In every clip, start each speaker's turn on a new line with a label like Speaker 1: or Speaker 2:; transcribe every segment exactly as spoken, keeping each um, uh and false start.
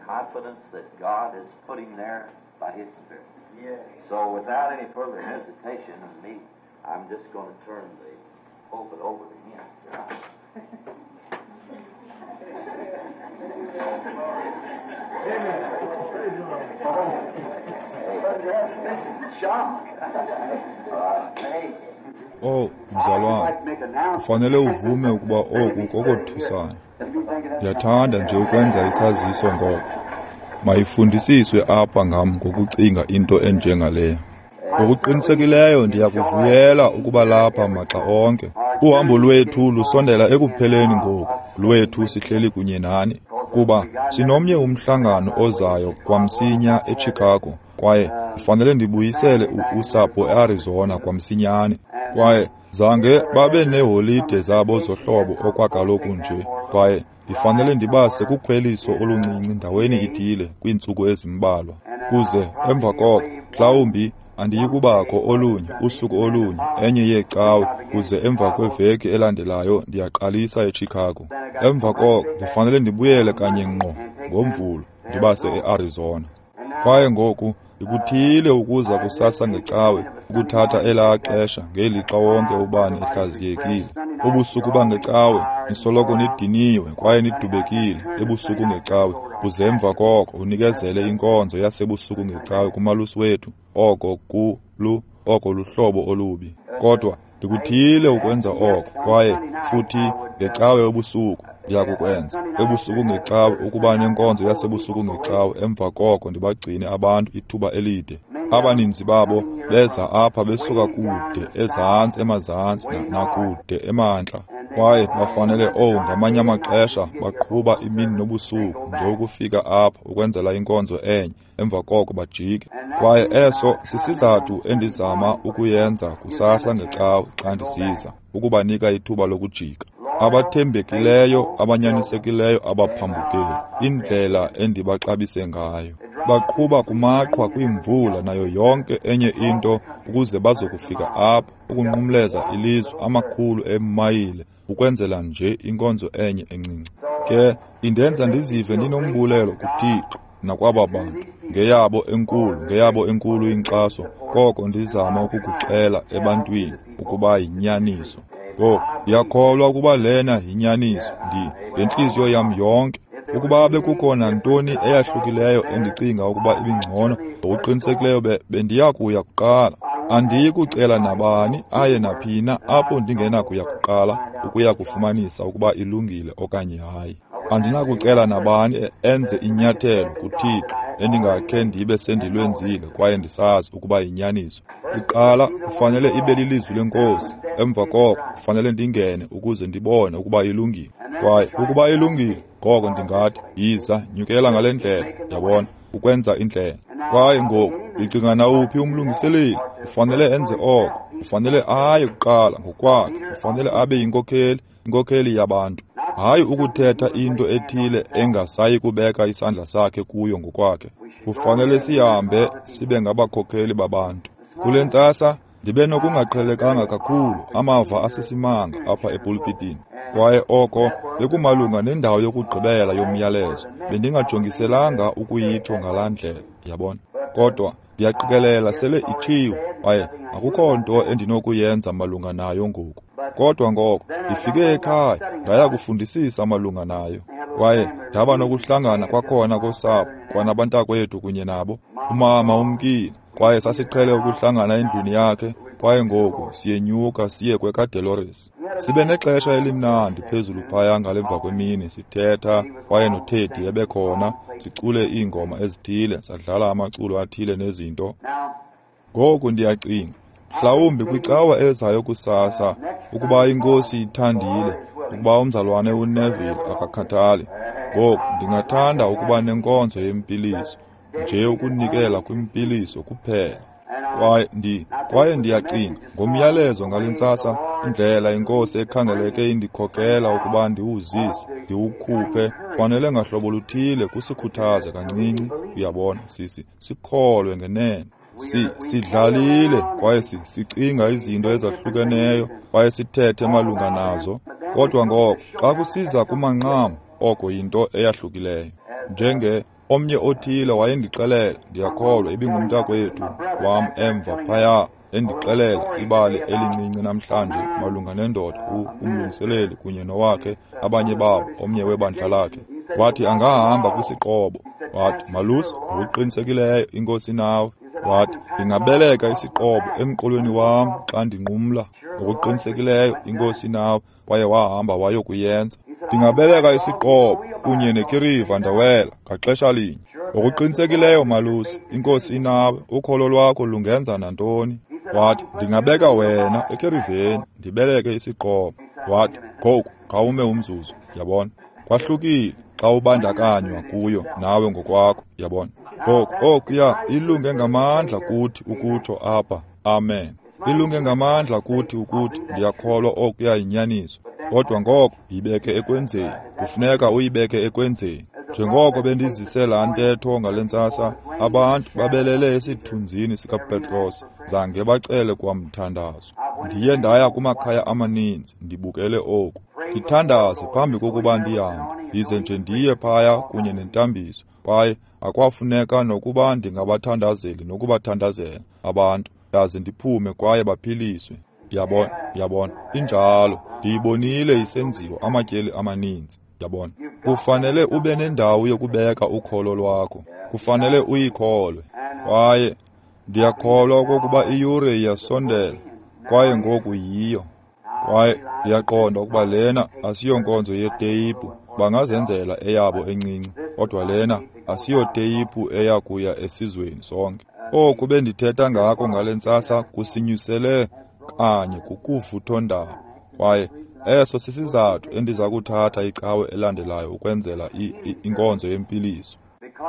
Speaker 1: Confidence that God is putting there by His Spirit. So without any further hesitation of me, I'm just going to turn the pulpit over to him.
Speaker 2: Oh, mzalwane, kufanele uvume ukuba oku kokothusayo. Ndiyathanda nje ukwenza isaziso ngoko. Mayifundisiswe apha ngam ngokucinga into enjengaleyo. Ngokuqinisekileyo ndiyakuvuyela ukuba lapha maxa onke. Uhambo lwethu lusondela ekupheleni ngoku, lwethu sihleli kunye nani, kuba sinomnye umhlangano ozayo kwamsinya eChicago, kwaye kufanele ndibuyisele usapho eArizona kwamsinyane. Kwaye zange babe neeholide zabo zohlobo okwakaloku nje, kwaye ndifanele ndibase kukhweliso oluncinci ndaweni ithile kwiintsuku ezimbalwa. Kuze emva koko mhlawumbi andiyikubakho olunye usuku olunye enye yeecawe, kuze emva kweveki elandelayo ndiyaqalisa eChicago. Emva koko ndifanele ndibuyele kanye ngqo ngoMvulo ndibase eArizona. Kwaye ngoku ndikuthiyile ukuza kusasa ngecawe ukuthatha elaa xesha ngelixa wonke ubani ehlaziyekile. Ubusuku bangecawe nisoloko nidiniwe kwaye nidubekile ebusuku ngecawe, kuze emva koko unikezele inkonzo yasebusuku ngecawe kumalusi wethu. Oko kulu oko luhlobo olubi, kodwa ndikuthiyile ukwenza oko. Kwaye futhi ngecawe ebusuku ndiyakukwenza ebusuku ngecawe ukuba nenkonzo yasebusuku ngecawe. Emva koko ndibagcine abantu ithuba elide. Abaninzi babo beza apha besuka kude ezantsi emazantsi nakude emantla, kwaye bafanele oh ngamanye amaxesha baqhuba imini nobusuku nje ukufika apha ukwenzela inkonzo enye, emva koko bajike. Kwaye eso sisizathu endizama ukuyenza kusasa ngecawe xa ndisiza, ukubanika ithuba lokujika. Abathembekileyo, abanyanisekileyo, abaphambukeli, indlela endibaxabise ngayo. Baqhuba kumaqhwa kwimvula nayo yonke enye into ukuze bazokufika apha ukunqumleza ilizwe amakhulu emayile ukwenzela nje inkonzo enye encinci. Ke indenza ndizive ndinombulelo kuThixo nakwaba bantu ngeyabo enkulu, ngeyabo enkulu inkxaso, koko ndizama ukukuxela ebantwini ukuba yinyaniso. Ngoku ndiyakholwa ukuba lena yinyaniso, ndi ngentliziyo yam yonke. Ukuba bekukho nantoni eyahlukileyo endicinga ukuba ibingcono, ngokuqinisekileyo bendiyakuya kuqala. Andiyi kucela nabani aye naphina apho ndingenakuya kuqala ukuya kufumanisa ukuba ilungile okanye hayi. Andinakucela nabani enze inyathelo kuThixo endingakhe ndibe sendilwenzile kwaye ndisazi ukuba yinyaniso. Kuqala kufanele ibe lilizwi leNkosi, emva koko kufanele ndingene ukuze ndibone ukuba ilungile. Kwaye ukuba ilungile, ngoko ndingathi yiza, nyukela ngale ndlela, yabona, ukwenza indlela. Kwaye ngoku ndicinga nawuphi umlungiseleli ufanele enze oko, ufanele aye kuqala ngokwakhe, ufanele abe yinkokheli, inkokheli yabantu. Hayi ukuthetha into ethile engasayi kubeka isandla sakhe kuyo ngokwakhe. Kufanele sihambe sibe ngabakhokheli babantu. Kule ntsasa ndibe nokungaqhelekanga kakhulu amava asesimanga apha epulpitini. Kwaye oko bekumalunga nendawo yokugqibela yomyalezo. Bendingajongiselanga ukuyitsho ngalaa ndlela, yabona. Kodwa ndiyaqikelela sele itshiwe, kwaye akukho nto endinokuyenza malunga nayo ngoku. Kodwa ngoko ndifike ekhaya ndaya kufundisisa malunga nayo, kwaye ndaba nokuhlangana kwakhona kosapho kwanabantakwethu kunye nabo. Umama umkile, kwaye sasiqhele ukuhlangana endlwini yakhe, kwaye ngoku siyenyuka siye kwekaDelores. Sibe nexesha elimnandi phezulu phaya ngalemva kwemini sithetha, kwaye noTeddy ebekhona, sicule iingoma ezithile, sadlala amaculo athile nezinto. Ngoku ndiyacinga mhlawumbi kwicawa ezayo kusasa, ukuba iNkosi ithandile, ukuba umzalwane uNeville akakhathali, ngoku ndingathanda ukuba nenkonzo yempiliso, nje ukunikela kwimpiliso kuphela. Kwaye ndi kwaye ndiyacinga ngomyalezo ngale ntsasa, indlela iNkosi ekhangeleke indikhokela ukuba ndiwuzise, ndiwukhuphe, fanele ngahlobo luthile kusikhuthaze kancinci, uyabona, sisi sikholwe ngenene. Si sidlalile kwaye sicinga izinto ezahlukeneyo kwaye sithethe malunga nazo, kodwa ngoko xa kusiza kumanqam, oko yinto eyahlukileyo. Njenge omnye othile wayendixelela, ndiyakholwa ibingumntakwethu wam emva phaya, endixelela ibali elincinci namhlanje malunga nendoda, umlungiseleli kunye nowakhe, abanye babo, omnye webandla lakhe. Wathi angahamba kwisiqobo. Wathi, malusi, ngokuqinisekileyo inkosi nawe. Wathi, ndingabeleka isiqobo emqolweni wam xa ndinqumla. Ngokuqinisekileyo inkosi nawe. Kwaye wahamba wayokuyenza. Ndingabeleka isiqobo kunye nekiriva ndawela ngaxesha linye. Ngokuqinisekileyo malusi, inkosi inawe, ukholo lwakho lungenza nantoni. Wathi, ndingabeka wena ekiriveni ndibeleke isiqobo. Wathi, ngoku khawume umzuzu, yabona. Kwahlukile xa ubandakanywa kuyo nawe ngokwakho, yabona. Ngoku okuya ilunge ngamandla kuthi ukutsho apha, amen. Ilunge ngamandla kuthi ukuthi ndiyakholwa okuya yinyaniso. Kodwa ngoko yibeke ekwenzeni, kufuneka uyibeke ekwenzeni. Njengoko bendizise laa ntetho ngale ntsasa, abantu babelele esithunzini sikaPetros, zange bacele kwamthandazo. Ndiye ndaya kumakhaya amaninzi ndibukele oku. Ndithandaze phambi kokuba ndihambe, ndize nje ndiye phaya kunye nentambiso. Kwaye akwafuneka nokuba ndingabathandazeli nokubathandazela abantu, ndaze ndiphume kwaye baphiliswe. Yabona, yabona, injalo. Ndiyibonile isenziwa amatyeli amaninzi. Yabona, kufanele ube nendawo yokubeka ukholo lwakho. Kufanele uyikholwe. Kwaye ndiyakholwa okokuba iyure iyasondela, kwaye ngoku yiyo. Kwaye ndiyaqonda ukuba lena asiyonkonzo yeteyipu, bangazenzela eyabo encinci, kodwa lena asiyoteyiphu eya kuya esizweni sonke. Oku bendithetha ngako ngale ntsasa kusinyusele kanye kukuvuthondaba. Kwaye eso sisizathu endiza kuthatha icawe elandelayo ukwenzela inkonzo yempiliso.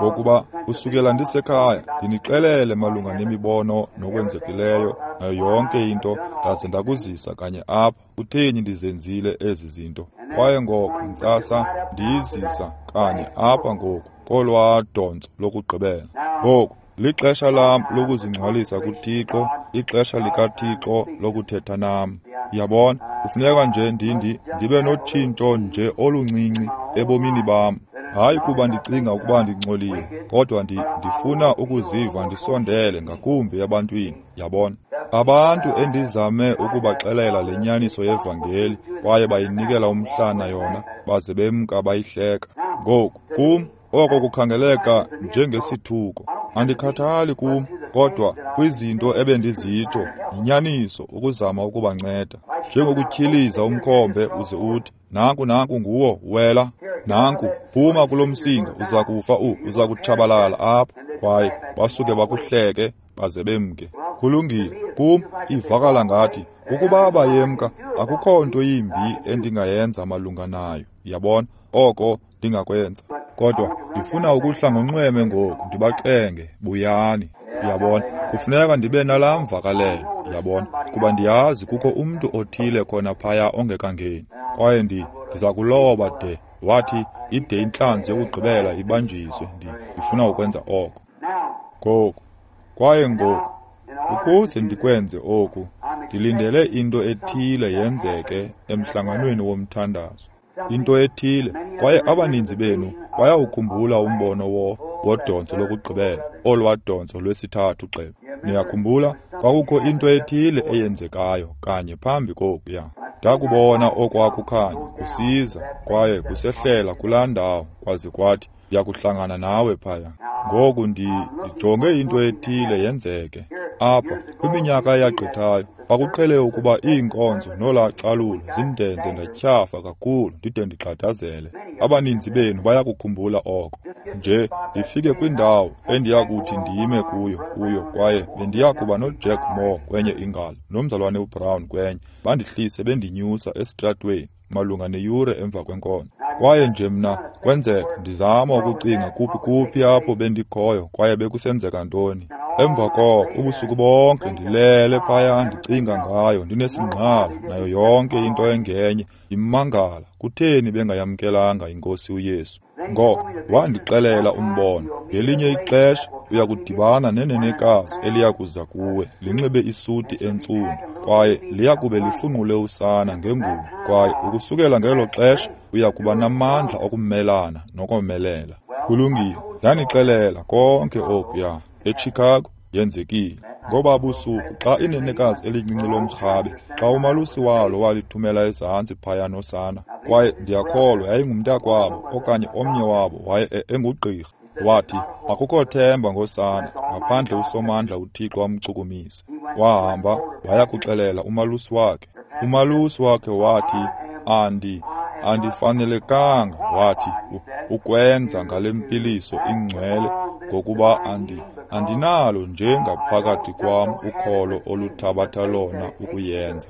Speaker 2: Ngokuba usukela ndisekhaya ndinixelele malunga nemibono nokwenzekileyo nayo yonke into, ndaze ndakuzisa kanye apha. Kutheni ndizenzile ezi zinto? Kwaye ngoko ntsasa ndiyizisa kanye apha ngoku kolwaa dontso lokugqibela. Ngoku lixesha lam lokuzingcwalisa kuThixo, ixesha likaThixo lokuthetha nam. Yabona, kufuneka nje ndindi ndibe notshintsho nje oluncinci ebomini bam. Hayi kuba ndicinga ukuba ndingcolile, kodwa ndi, ndifuna ukuziva ndisondele ngakumbi ebantwini. Yabona, abantu endizame ukubaxelela le nyaniso yevangeli kwaye bayinikela umhlana yona, baze bemka bayihleka. Ngoku kum oko kukhangeleka njengesithuko. Andikhathali kum, kodwa kwizinto ebendizitsho yinyaniso ukuzama ukubanceda. Njengokutyhiliza umkhombe uze uthi, nanku nanku nguwo, wela, nanku, phuma kulo msinga, uza kufa, u uza kutshabalala apha. Kwaye basuke bakuhleke baze bemke. Kulungile, kum ivakala ngathi ukuba bayemka akukho nto yimbi endingayenza malunga nayo. Yabona, oko ndingakwenza. Kodwa ndifuna ukuhla ngonxweme ngoku, ndibacenge, buyani. Yabona, kufuneka ndibe nalaa mvakalelo. Yabona, kuba ndiyazi kukho umntu othile khona phaya ongekangeni. Kwaye ndi ndiza kuloba de wathi ide intlanzi yokugqibela ibanjiswe. Ndifuna ukwenza oko ngoku. Kwaye ngoku ukuze ndikwenze oku, ndilindele into ethile yenzeke emhlanganweni womthandazo. Into ethile, kwaye abaninzi benu bayawukhumbula umbono wo wodontso lokugqibela, olwadontso lwesithathu gxebe. Niyakhumbula kwakukho into ethile eyenzekayo kanye phambi kokuya. Ndakubona okwakukhanya kusiza kwaye kusehlela kulaa ndawo, kwaze kwathi ndiyakuhlangana nawe phaya. Ngoku ndijonge into ethile yenzeke apha. Kwiminyaka eyagqithayo kwakuqhele ukuba iinkonzo nolaa calulo zindenze ndatyhafa kakhulu ndide ndigxadazele. Abaninzi benu bayakukhumbula oko. Nje ndifike kwindawo endiyakuthi ndime kuyo kuyo kwaye bendiyakuba noJack Moore kwenye ingalo nomzalwane uBrown kwenye, bandihlise bendinyusa esitratweni malunga neyure emva kwenkonzo. Kwaye nje mna kwenzeka ndizama ukucinga kuphi kuphi apho bendikhoyo kwaye bekusenzeka ntoni. Emva koko ubusuku bonke ndilele phaya ndicinga ngayo, ndinesingqala nayo yonke into engenye, ndimangala kutheni bengayamkelanga iNkosi uYesu. Ngoko wandixelela umbono, ngelinye ixesha uyakudibana nenenekazi eliyakuza kuwe linxibe isuti entsundu, kwaye liyakube lifunqule usana ngengubo, kwaye ukusukela ngelo xesha uyakuba namandla okumelana nokomelela. Kulungile, ndanixelela konke okuya eChicago yenzekile. Ngoba busuku xa inenekazi elincinci lomrhabe, xa umalusi walo walithumela ezantsi phaya nosana, kwaye ndiyakholwa yayingumntakwabo okanye omnye wabo waye engugqirha. Wathi, akukho themba ngosana ngaphandle uSomandla uThixo amchukumise. Wahamba waya kuxelela umalusi wakhe. Umalusi wakhe wathi, andi andifanelekanga, wathi, ukwenza ngale mpiliso ingcwele ngokuba andi andinalo nje ngaphakathi kwam ukholo oluthabatha lona ukuyenza.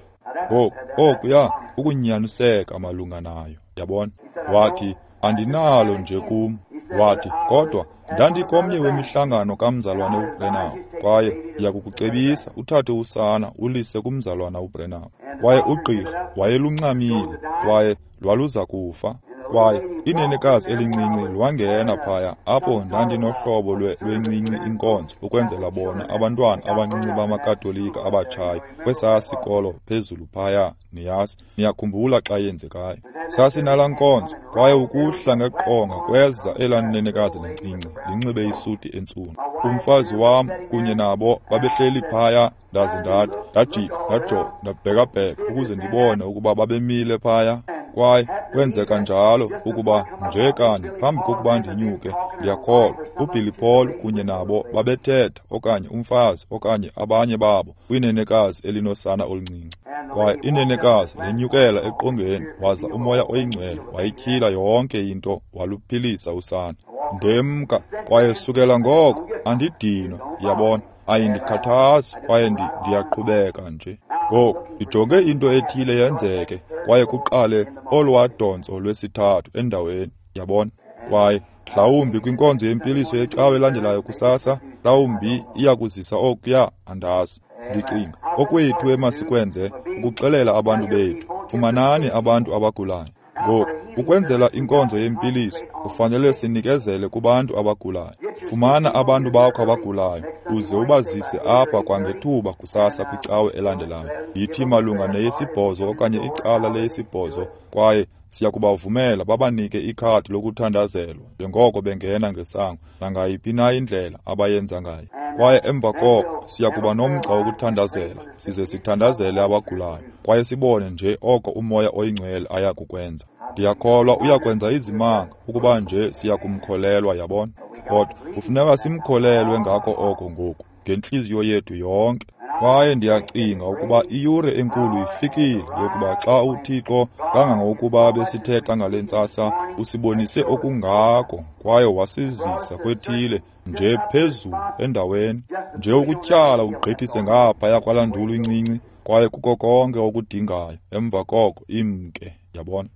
Speaker 2: Ngoku okuya ukunyaniseka malunga nayo, yabona. Wathi, andinalo nje kum. Wathi, kodwa ndandikomnye wemihlangano kamzalwane uBrenham, kwaye ndiyakukucebisa uthathe usana ulise kumzalwana uBrenham. Kwaye ugqirha wayeluncamile kwaye lwaluza kufa. Kwaye inenekazi elincinci lwangena phaya apho ndandinohlobo lwencinci inkonzo ukwenzela bona abantwana abancinci bamaKatolika abatshayo kwesaa sikolo phezulu phaya, niyazi, niyakhumbula xa yenzekayo. Sasinalaa nkonzo, kwaye ukuhla ngeqonga kweza elaa nenekazi lincinci linxibe isuti entsundu. Umfazi wam kunye nabo babehleli phaya, ndaze ndathi, ndajika, ndajonga, ndabhekabheka ukuze ndibone ukuba babemile phaya. Kwaye kwenzeka njalo ukuba nje kanye phambi kokuba ndinyuke, ndiyakholwa uBilly Paul kunye nabo babethetha, okanye umfazi okanye abanye babo, kwinenekazi elinosana oluncinci. Kwaye inenekazi lenyukela eqongeni, waza uMoya oyiNgcwele wayityhila yonke into, waluphilisa usana. Ndemka, kwaye sukela ngoko andidinwa, yabona, ayindikhathazi, kwaye ndiyaqhubeka nje. Ngoku ndijonge into ethile yenzeke, kwaye kuqale olwadontso lwesithathu endaweni, yabona. Kwaye mhlawumbi kwinkonzo yempiliso yecawe elandelayo kusasa, mhlawumbi iyakuzisa okuya, andazi. Ndicinga okwethu emasikwenze ukuxelela abantu bethu, fumanani abantu abagulayo. Ngoku ukwenzela inkonzo yempiliso kufanele sinikezele kubantu abagulayo. Fumana abantu bakho abagulayo uze ubazise apha kwangethuba kusasa kwicawe elandelayo. Yithi malunga neyesibhozo okanye icala leyesibhozo, kwaye siyakubavumela babanike ikhadi lokuthandazelwa njengoko bengena ngesango nangayiphi na indlela abayenza ngayo. Kwaye emva koko siyakuba nomgca wokuthandazela, size sithandazele abagulayo, kwaye sibone nje oko uMoya oyiNgcwele aya kukwenza. Ndiyakholwa uyakwenza izimanga ukuba nje siyakumkholelwa, yabona. Kodwa kufuneka simkholelwe ngako oko ngoku ngentliziyo yethu yonke. Kwaye ndiyacinga ukuba iyure enkulu ifikile yokuba xa uThixo, kangangokuba besithetha ngale ntsasa, usibonise okungako kwaye wasizisa kwethile nje phezulu endaweni, nje ukutyhala ugqithise ngaphaya kwalaa ndulu incinci, kwaye kuko konke okudingayo. Emva koko imke, yabona.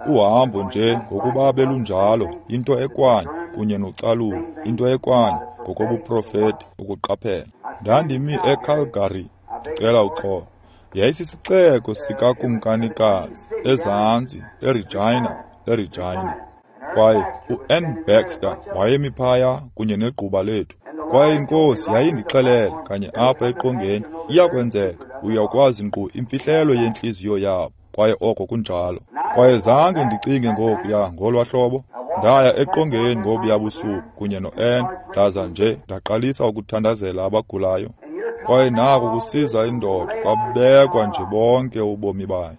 Speaker 2: Uhambo nje ngokuba belunjalo, into ekwanye kunye nocalulo, into ekwanye ngokobuprofeti ukuqaphela. Ndandimi eCalgary, ndicela uxolo. Yayisisixeko sikakumkanikazi ezantsi eRegina, eRegina. Kwaye u-N Baxter wayemi phaya kunye negquba lethu. Kwaye inkosi yayindixelela kanye apha eqongeni, iyakwenzeka, uyakwazi nkqu imfihlelo yentliziyo yabo. Kwaye oko kunjalo. Kwaye zange ndicinge ngokuya ngolwa hlobo. Ndaya eqongeni ngobuya busuku kunye no-N, ndaza nje ndaqalisa ukuthandazela abagulayo. Kwaye nako kusiza indoda, kwabekwa nje bonke ubomi bayo.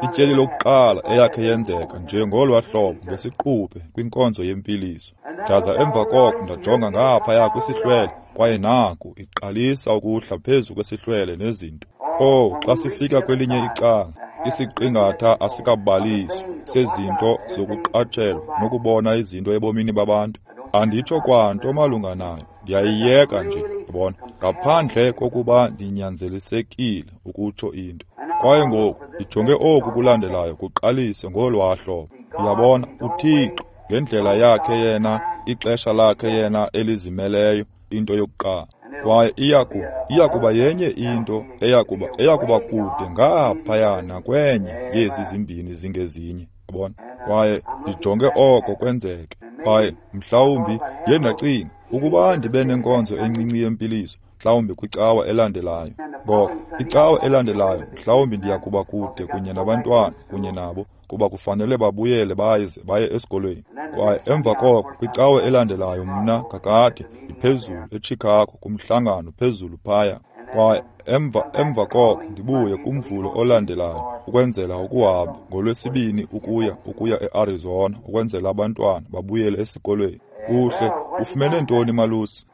Speaker 2: Ityeli lokuqala eyakhe yenzeka nje ngolwa hlobo ngesiquphe kwinkonzo yempiliso. Ndaza emva koko ndajonga ngaphaya kwisihlwele, kwaye naku iqalisa ukuhla phezu kwesihlwele nezinto. Oh, xa sifika kwelinye icala, isiqingatha asikabaliswa sezinto zokuqatshelwa nokubona izinto ebomini babantu. Anditsho kwanto malunga nayo, ndiyayiyeka nje, yabona, ngaphandle kokuba ndinyanzelisekile ukutsho into. Kwaye ngoku ndijonge oku kulandelayo kuqalise ngolwaa hlobo. Uyabona, uThixo ngendlela yakhe yena, ixesha lakhe yena elizimeleyo, into yokuqala. Kwaye iyaku iyakuba yenye into eyakuba eyakuba kude ngaphaya nakwenye yezi zimbini zingezinye, yabona. Kwaye ndijonge oko kwenzeke. Kwaye mhlawumbi ndiye ndacinga ukuba ndibe nenkonzo encinci yempiliso, mhlawumbi kwicawa elandelayo. Ngoko icawa elandelayo mhlawumbi ndiya kuba kude kunye nabantwana kunye nabo, kuba kufanele babuyele baze baye esikolweni. Kwaye emva koko kwicawa elandelayo mna kakade ndiphezulu eChicago kumhlangano phezulu phaya. Kwaye emva emva koko ndibuye kumvulo olandelayo ukwenzela ukuhamba ngolwesibini ukuya ukuya eArizona ukwenzela abantwana babuyele esikolweni. Kuhle, ufumene ntoni malusi?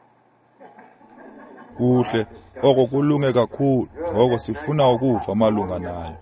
Speaker 2: Kuhle, oko kulunge kakhulu, ngoko sifuna ukuva malunga nayo.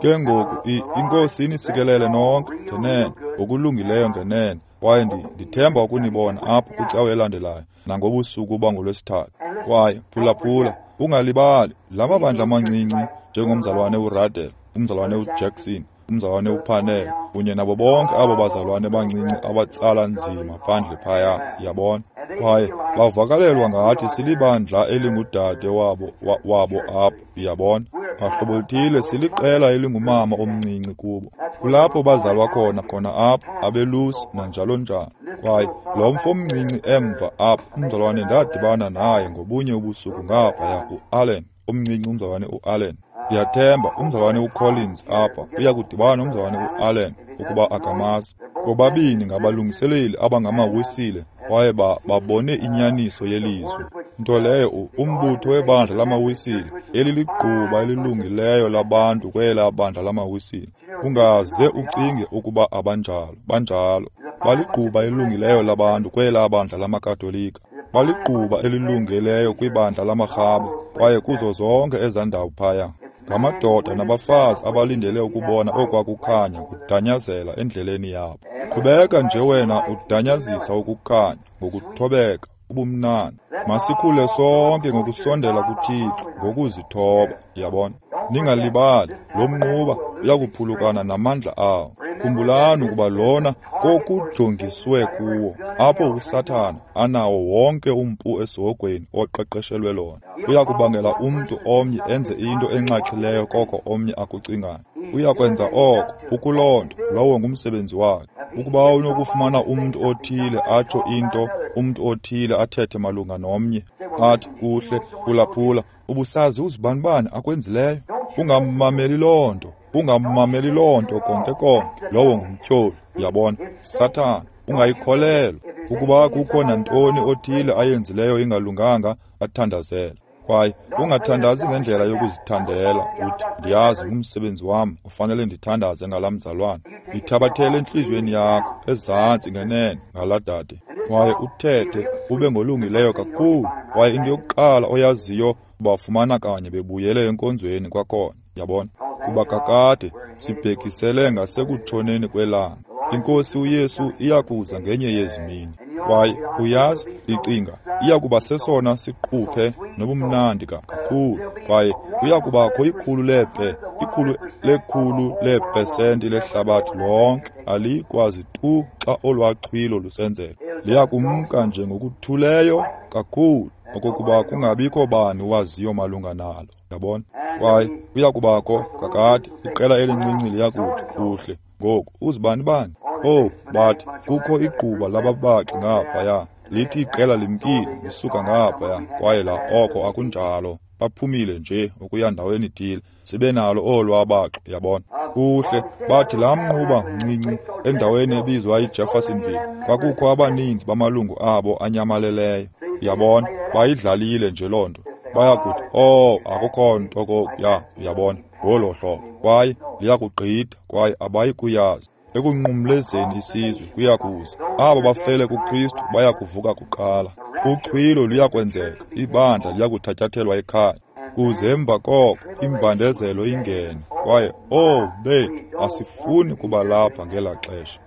Speaker 2: Ke ngoku iNkosi inisikelele nonke ngenene, ngokulungileyo ngenene, kwaye ndithemba ukunibona apho kwicawa elandelayo nangobusuku bangolwesithathu. Kwaye phulaphula, ungalibali la mabandla amancinci njengomzalwane uRadel, umzalwane uJackson, umzalwane uPanel kunye nabo bonke abo bazalwane bancinci abatsala nzima phandle phaya, yabona. Kwaye bavakalelwa ngathi silibandla elingudade wabo wabo apho, yabona. Ngahlobo luthile siliqela elingumama omncinci kubo. Kulapho bazalwa khona khona apho abelusi nanjalo njalo. Kwaye lo mfo omncinci emva apho umzalwane ndadibana naye ngobunye ubusuku ngaphaya, uAllen, omncinci umzalwane uAllen. Ndiyathemba umzalwane uCollins apha uya kudibana nomzalwane uAllen ukuba akamazi. Bobabini ngabalungiseleli abangamawisile kwaye babone inyaniso yelizwi. Nto leyo umbutho webandla lamawisile eliligquba elilungileyo labantu kwela bandla lamawisile. Ungaze ucinge ukuba abanjalo, banjalo. Baligquba elilungileyo labantu kwela bandla lamaKatolika. Baligquba elilungileyo kwibandla lamarhabe kwaye kuzo zonke ezandawo phaya. Ngamadoda nabafazi abalindele ukubona okwakukhanya kudanyazela endleleni yabo. Qhubeka nje wena udanyazisa ukukhanya ngokuthobeka ubumnandi. Masikhule sonke ngokusondela kuThixo ngokuzithoba, yabona. Ningalibali, lo mnquba uyakuphulukana namandla awo. Khumbulani ukuba lona kokujongiswe kuwo, apho uSathana anawo wonke umpu esihogweni oqeqeshelwe lona. Uyakubangela umntu omnye enze into enxaxhileyo koko omnye akucingayo. Uyakwenza oko, ukuloo nto, lowo ngumsebenzi wakhe. Ukuba unokufumana umntu othile atsho into, umntu othile athethe malunga nomnye, athi kuhle, phulaphula, ubusazi uzibanibani akwenzileyo? Ungammameli loo nto, ungammameli loo nto konke konke, lowo ngumtyholi, uyabona, Sathana, ungayikholelwa. Ukuba kukho nantoni othile ayenzileyo ingalunganga, athandazele. Kwaye ungathandazi ngendlela yokuzithandela, uthi ndiyazi ngumsebenzi wam, ufanele ndithandaze ngalaa mzalwane. Yithabathele entliziyweni yakho ezantsi ngenene ngalaa dade, kwaye uthethe ube ngolungileyo kakhulu. Kwaye into yokuqala oyaziyo bafumana kanye bebuyele enkonzweni kwakhona, yabona. Kuba kakade sibhekisele ngasekutshoneni kwelanga. INkosi uYesu iyakuza ngenye yezi mini. Kwaye uyazi, ndicinga iyakuba sesona siquphe nobumnandi kakhulu. Kwaye kuyakubakho ikhulu lepe, ikhulu lekhulu leepesenti lehlabathi lonke alikwazi tu xa olwaxhwilo lusenzeka. Liyakumka nje ngokuthuleyo kakhulu okokuba kungabikho bani waziyo malunga nalo, yabona. Kwaye kuyakubakho kakade iqela elincinci liyakuthi kuhle ngoku uzibani bani? Oh, bathi kukho igquba lababaxi ngaphaya, lithi iqela limkile lisuka ngaphaya, kwaye la oko akunjalo, baphumile nje ukuya ndaweni ithile, sibe nalo olwabaxo, yabona. Kuhle, bathi laa mnquba mncinci endaweni ebizwa iJeffersonville kwakukho abaninzi bamalungu abo anyamaleleyo, yabona, bayidlalile nje loo nto. Bayakuthi, oh, akukho nto kokuya, uyabona, ngolo hlobo. Kwaye liyakugqitha, kwaye abayi kuyazi. Ekunqumlezeni isizwe kuyakuza. Abo bafele kuKristu bayakuvuka kuqala. Uchwilo luyakwenzeka, ibandla liyakuthatyathelwa ekhaya. Kuze emva koko imbandezelo ingene. Kwaye, oh, bethu, asifuni kuba lapha ngelaa xesha.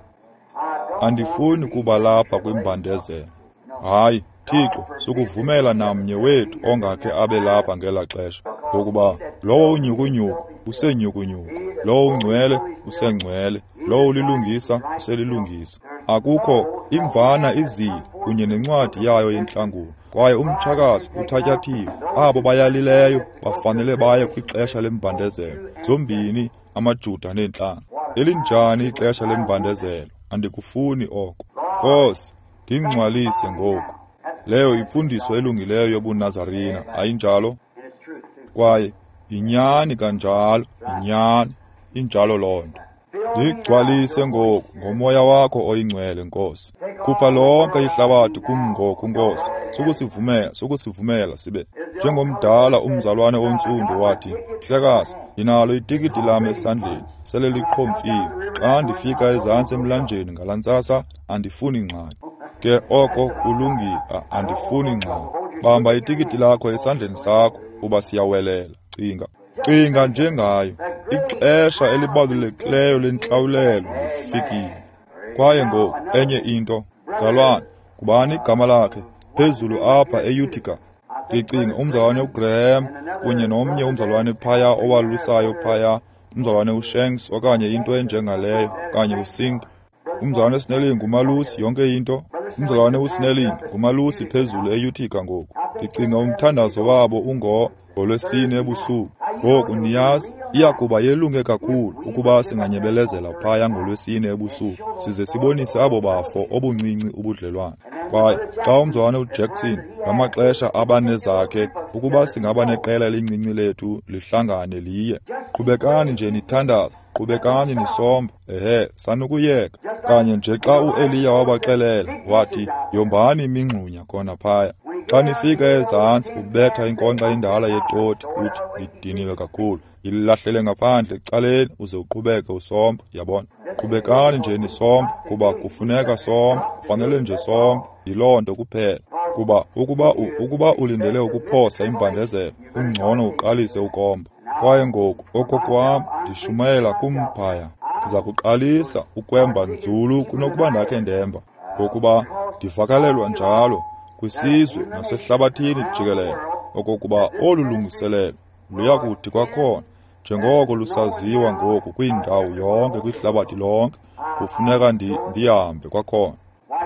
Speaker 2: Andifuni kuba lapha kwimbandezelo. Hayi, Thixo, sukuvumela namnye wethu ongakhe abe lapha ngelaa xesha, ngokuba lowo unyhukunyhuku usenyhukunyhuku, lowo ungcwele usengcwele, lowo ulilungisa uselilungisa. Akukho imvana izile kunye nencwadi yayo yentlangulo, kwaye umtshakazi uthatyathiwe. Abo bayalileyo bafanele baye kwixesha lembandezelo, zombini amaJuda neentlanga. Elinjani ixesha lembandezelo? Andikufuni oko. Nkosi, ndingcwalise ngoku. Leyo imfundiso elungileyo yobuNazarina, ayinjalo? Kwaye inyani kanjalo, inyani, injalo loo nto. Ndigcwalise ngoku ngoMoya wakho oyiNgcwele, Nkosi. Khupha lonke ihlabathi kum ngoku, Nkosi. Sukusivumela, sukusivumela sibe njengomdala umzalwane ontsundu wathi, "Mhlekazi, ndinalo itikiti lam esandleni, sele liqhomfiwe. Xa ndifika ezantsi emlanjeni ngalaa ntsasa, andifuni ngxaki." Ke oko kulungile, andifuni ngxaki. Bamba itikiti lakho esandleni sakho, kuba siyawelela. Cinga, cinga njengayo. Ixesha elibalulekileyo lentlawulelo lifikile. Kwaye ngoku enye into, mzalwane, ngubani igama lakhe phezulu apha eUtica? Ndicinga umzalwane uGraham kunye nomnye umzalwane phaya owalusayo phaya, umzalwane uShanks okanye into enjengaleyo, okanye uSink. Umzalwane uSnelling ngumalusi, yonke into. Umzalwane uSnelling ngumalusi phezulu eUtica ngoku. Ndicinga umthandazo wabo ungo ngolwesine ebusuku. Ngoku niyazi, iya kuba yelunge kakhulu ukuba singanyebelezela phaya ngolwesine ebusuku, size sibonise abo bafo obuncinci ubudlelwane. Kwaye xa umzalwane uJackson ngamaxesha abanezakhe, ukuba singaba neqela elincinci lethu lihlangane liye. Qhubekani nje nithandaza, qhubekani nisomba, ehe, sanukuyeka. Kanye nje xa uEliya wabaxelela, wathi, "Yombani imingxunya khona phaya." Xa nifika ezantsi ubetha inkonkxa endala yetoti, uthi, "Ndidiniwe kakhulu." Yilahlele ngaphandle ecaleni uze uqhubeke usomba, yabona. Qhubekani nje nisomba, kuba kufuneka somba, kufanele nje somba, yiloo nto kuphela. Kuba ukuba ukuba ulindele ukuphosa imbandezelo, ungcono uqalise ukomba. Kwaye ngoku okokwam ndishumayela kumphaya. Ndiza kuqalisa ukwemba nzulu kunokuba ndakhe ndemba, ngokuba ndivakalelwa njalo kwisizwe nasehlabathini jikelele okokuba olu lungiselelo luyakuthi kwakhona, njengoko lusaziwa ngoku kwindawo yonke kwihlabathi lonke, kufuneka ndi ndihambe kwakhona.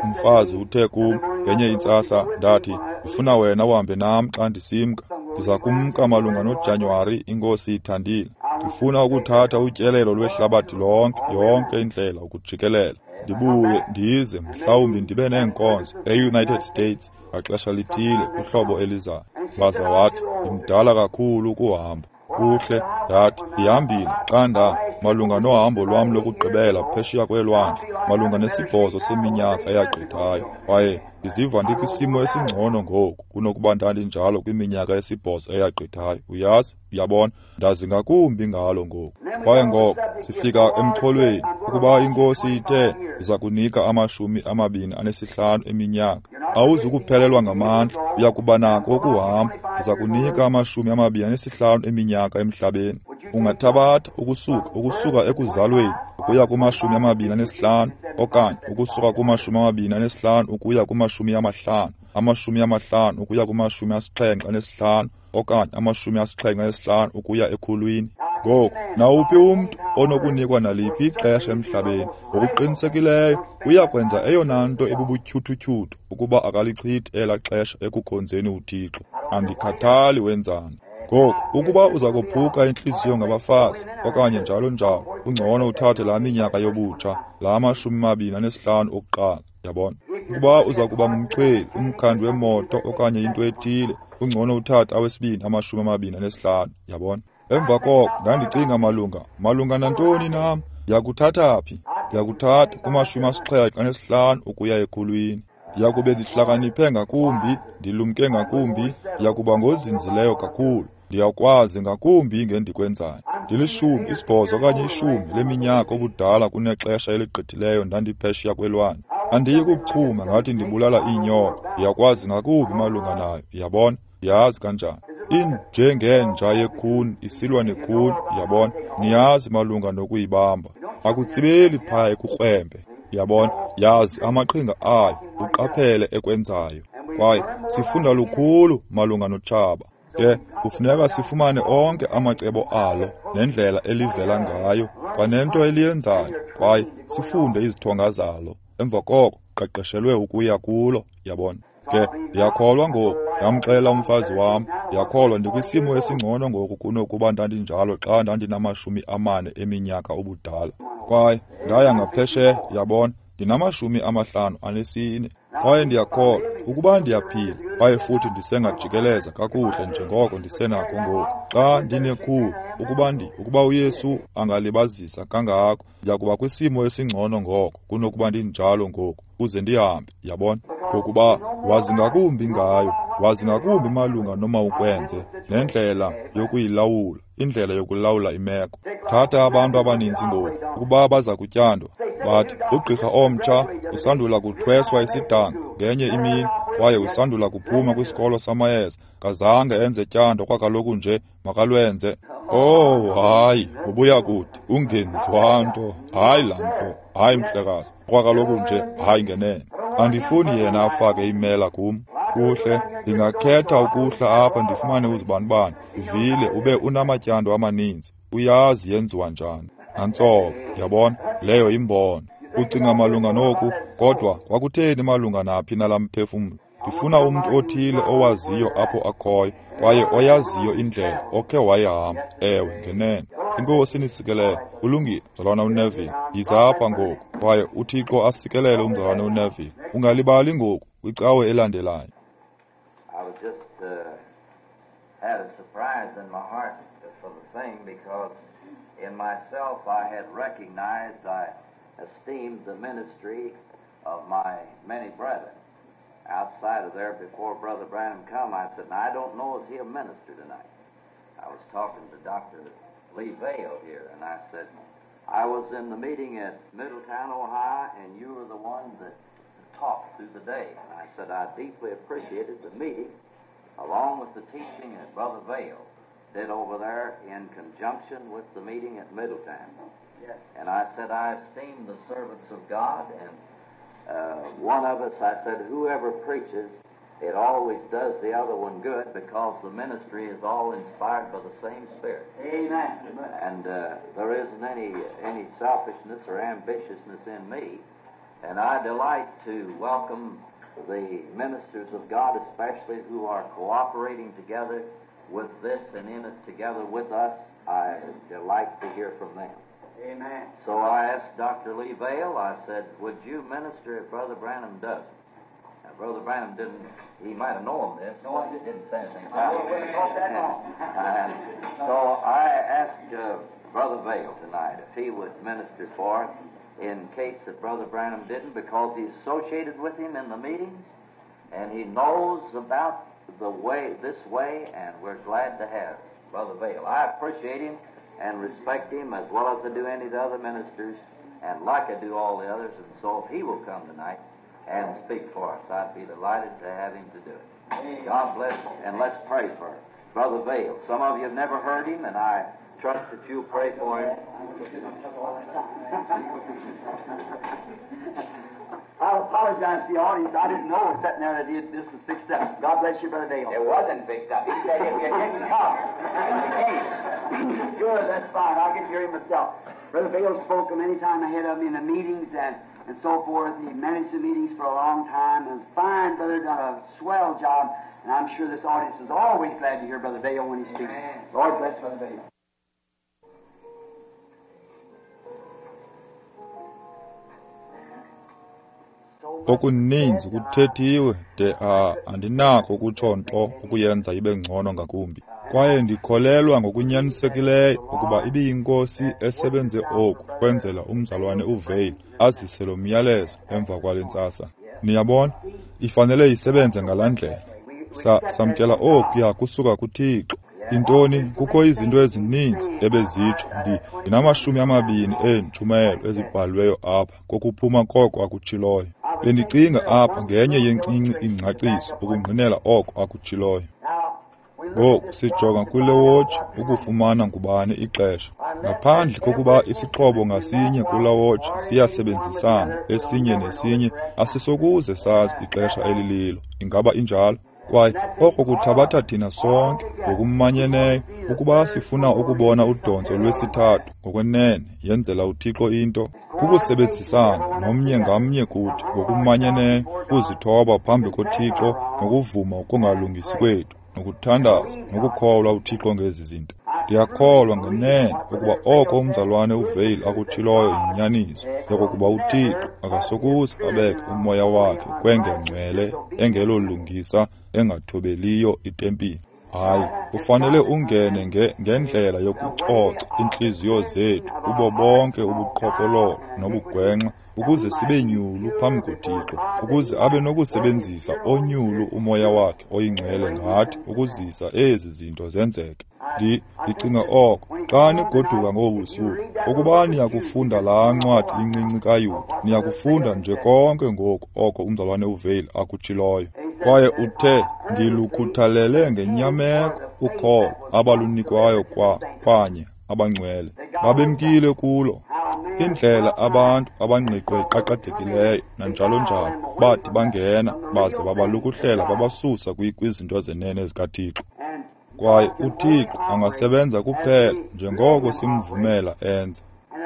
Speaker 2: Umfazi uthe kum ngenye intsasa, ndathi, "Ndifuna wena uhambe nam xa ndisimka. Ndiza kumka malunga noJanuwari, iNkosi ithandile. Ndifuna ukuthatha utyelelo lwehlabathi lonke, yonke indlela ukujikelela. Ndibuye ndize mhlawumbi ndibe neenkonzo e-United States ngaxesha lithile kwihlobo elizayo." Waza wathi, "Ndimdala kakhulu ukuhamba." Kuhle, ndathi, "Ndihambile xa nda malunga nohambo lwam lokugqibela phesheya kwelwandle malunga nesibhozo seminyaka eyagqithayo, kwaye ndiziva ndikwisimo esingcono ngoku kunokuba ndandinjalo kwiminyaka esibhozo eyagqithayo. Uyazi, uyabona, ndazi ngakumbi ngalo ngoku." Kwaye ngoko sifika emxholweni, ukuba iNkosi ithe iza kunika amashumi amabini anesihlanu eminyaka, awuzukuphelelwa ngamandla, uya kuba nako ukuhamba. Ndiza kunika amashumi amabini anesihlanu eminyaka emhlabeni. Ungathabatha ukusuka ukusuka ekuzalweni ukuya kumashumi amabini anesihlanu, okanye ukusuka kumashumi amabini anesihlanu ukuya kumashumi amahlanu, amashumi amahlanu ukuya kumashumi asixhenxe anesihlanu, okanye amashumi asixhenxe anesihlanu ukuya ekhulwini. Ngoku nawuphi umntu onokunikwa naliphi ixesha emhlabeni, ngokuqinisekileyo uya kwenza eyona nto ebubutyhuthutyhuthu ukuba akalichithi elaa xesha ekukhonzeni uThixo. Andikhathali wenzani. Ngoku ukuba uza kophuka intliziyo ngabafazi okanye njalo njalo, ungcono uthathe laa minyaka yobutsha, laa mashumi mabini anesihlanu okuqala, yabona. Ukuba uza kuba ngumchweli, umkhandi wemoto okanye into ethile, ungcono uthathe awesibini amashumi amabini anesihlanu, yabona. Emva koko ndandicinga malunga malunga nantoni nam, ndiyakuthatha phi? Ndiyakuthatha kumashumi asixhenxe anesihlanu ukuya ekhulwini. Ndiyakube ndihlakaniphe ngakumbi, ndilumke ngakumbi, ndiyakuba ngozinzileyo kakhulu, ndiyakwazi ngakumbi ngendikwenzayo. Ndilishumi, isibhozo okanye ishumi leminyaka obudala kunexesha eligqithileyo ndandiphesheya kwelwandle. Andiyi kuchuma ngathi ndibulala iinyoka, ndiyakwazi ngakumbi malunga nayo, yabona, ndiyazi kanjani. Injengenja yekhuni isilwa nekhuni, yabona, niyazi malunga nokuyibamba. Akutsibeli phaya ekukrwempe, yabona, yazi amaqhinga ayo, uqaphele ekwenzayo. Kwaye sifunda lukhulu malunga notshaba. Ke kufuneka sifumane onke amacebo alo nendlela elivela ngayo kwanento eliyenzayo, kwaye sifunde izithonga zalo. Emva koko qeqeshelwe ukuya kulo, yabona. Ke ndiyakholwa ngoku, ndamxelela umfazi wam, ndiyakholwa ndikwisimo esingcono ngoku kunokuba ndandinjalo xa ndandinamashumi amane eminyaka ubudala. Kwaye ndaya ngaphesheya, yabona, ndinamashumi amahlanu anesine. Kwaye ndiyakholwa ukuba ndiyaphila kwaye futhi ndisengajikeleza kakuhle njengoko ndisenako ngoku. Xa ndinekhulu, ukuba ndi ukuba uYesu angalibazisa kangako, ndiyakuba kwisimo esingcono ngoko kunokuba ndinjalo ngoku, uze ndihambe, yabona? Ngokuba wazi ngakumbi ngayo, wazi ngakumbi malunga noma ukwenze, nendlela yokuyilawula, indlela yokulawula imeko. Thatha abantu abaninzi ngoku, ukuba baza kutyandwa, bathi ugqirha omtsha usandula kuthweswa isidanga ngenye imini, kwaye usandula kuphuma kwisikolo samayeza, kazange enze tyando kwakaloku nje, makalwenze. Oh, hayi, ubuya kude, ungenziwa nto, hayi laa mfo, hayi mhlekazi, kwakaloku nje, hayi ngenene. Andifuni yena afake imela kum. Kuhle, ndingakhetha ukuhla apha ndifumane uzibanibani, uvile ube unamatyando amaninzi, uyazi yenziwa njani. Nantsoko, yabona, leyo imbono. Ucinga malunga noku, kodwa kwakutheni malunga naphi nalaa mphefumlo? Ndifuna umntu othile owaziyo apho akhoyo, kwaye oyaziyo indlela okhe wayihamba. Ewe, ngenene. Inkosi inisikelele. Ulungile, mzalwana uNeville. Yiza apha ngoku, kwaye uThixo asikelele umzalwana uNeville. Ungalibali ngoku kwicawe elandelayo.
Speaker 1: I was just uh, had a surprise in my heart for the thing, because in myself I had recognized, I esteemed the ministry of my many brethren. Outside of there, before Brother Branham come, I said, now, I don't know, is he a minister tonight? I was talking to Doctor Lee Vayle here, and I said, I was in the meeting at Middletown, Ohio, and you were the one that talked through the day. And I said, I deeply appreciated the meeting, along with the teaching that Brother Vayle did over there in conjunction with the meeting at Middletown. Yes. And I said, I esteem the servants of God, and uh, one of us, I said, whoever preaches, it always does the other one good, because the ministry is all inspired by the same Spirit.
Speaker 3: Amen.
Speaker 1: And uh, there isn't any, any selfishness or ambitiousness in me. And I delight to welcome the ministers of God, especially who are cooperating together with this and in it together with us. I delight to hear from them.
Speaker 3: Amen.
Speaker 1: So I asked Doctor Lee Vayle, I said, would you minister if Brother Branham doesn't? Now, Brother Branham didn't, he might have known this,
Speaker 3: no,
Speaker 1: but he didn't say anything about it. And so I asked uh, Brother Vayle tonight if he would minister for us in case that Brother Branham didn't, because he's associated with him in the meetings, and he knows about the way, this way, and we're glad to have Brother Vayle. I appreciate him and respect him as well as I do any of the other ministers, and like I do all the others, and so if he will come tonight and speak for us, I'd be delighted to have him to do it. God bless, and let's pray for Brother Vayle. Some of you have never heard him, and I trust that you'll pray for him.
Speaker 3: I apologize to the audience. I didn't know sitting there that this was fixed up. God bless you, Brother Vayle.
Speaker 4: It wasn't fixed up. He said if you didn't come, you came.
Speaker 3: Good, that's fine. I'll get to hear him myself. Brother Vayle spoke many times ahead of me in the meetings and, and so forth. He managed the meetings for a long time. And fine brother, done a swell job. And I'm sure this audience is always glad to hear Brother Vayle when he speaks.
Speaker 4: Amen.
Speaker 3: Lord bless Brother Vayle.
Speaker 2: Okuninzi kuthethiwe de a andinakho ukutsho nto ukuyenza ibe ngcono ngakumbi. Kwaye ndikholelwa ngokunyanisekileyo ukuba ibiyinkosi esebenze oku kwenzela umzalwane uVayle azise lo myalezo emva kwale ntsasa. Niyabona, ifanele isebenze ngalaa ndlela. Sa samkela okuya kusuka kuThixo. Intoni, kukho izinto ezininzi ebezitsho. Ndi ndinamashumi amabini eentshumayelo ezibhaliweyo apha kokuphuma koko akutshiloyo. Bendicinga apha ngenye yencinci ingcaciso ukungqinela oko akutshiloyo. Ngoku sijonga kule wotshi ukufumana ngubani ixesha. Ngaphandle kokuba isixhobo ngasinye kula wotshi siyasebenzisana esinye nesinye, asisokuze sazi ixesha elililo. Ingaba injalo? Kwaye oko kuthabatha thina sonke ngokumanyeneyo ukuba sifuna ukubona udontso lwesithathu ngokwenene yenzela uThixo into, kukusebenzisana nomnye ngamnye kuthi ngokumanyeneyo, ukuzithoba phambi koThixo nokuvuma ukungalungisi kwethu, nokuthandaza nokukholwa uThixo ngezi zinto. Ndiyakholwa ngenene ukuba oko umzalwane uVayle akutshiloyo yinyaniso, yokokuba uThixo akasokuze abeke umoya wakhe kwengengcwele engelolungisa engathobeliyo itempile. Hayi, ufanele ungene nge ngendlela yokucoca iintliziyo zethu kubo bonke ubuqhophololo nobugwenxa, ukuze sibe nyulu phambi koThixo, ukuze abe nokusebenzisa onyulu umoya wakhe oyingcwele ngathi ukuzisa ezi zinto zenzeke. Ndi ndicinga oko xa nigoduka ngobu busuku, ukuba niyakufunda laa ncwadi incinci kaYuda, niyakufunda nje konke ngoku oko umzalwane uVayle akutshiloyo. Kwaye uthe, ndilukhuthalele ngenyameko ukholo abalunikwayo kwa kwanye abangcwele babemkile kulo. Indlela abantu abangqiqo iqaqadekileyo nanjalo njalo bathi bangena baze babalukuhlela babasusa kwizinto zenene zikaThixo. Kwaye uThixo angasebenza kuphela njengoko simvumela enze.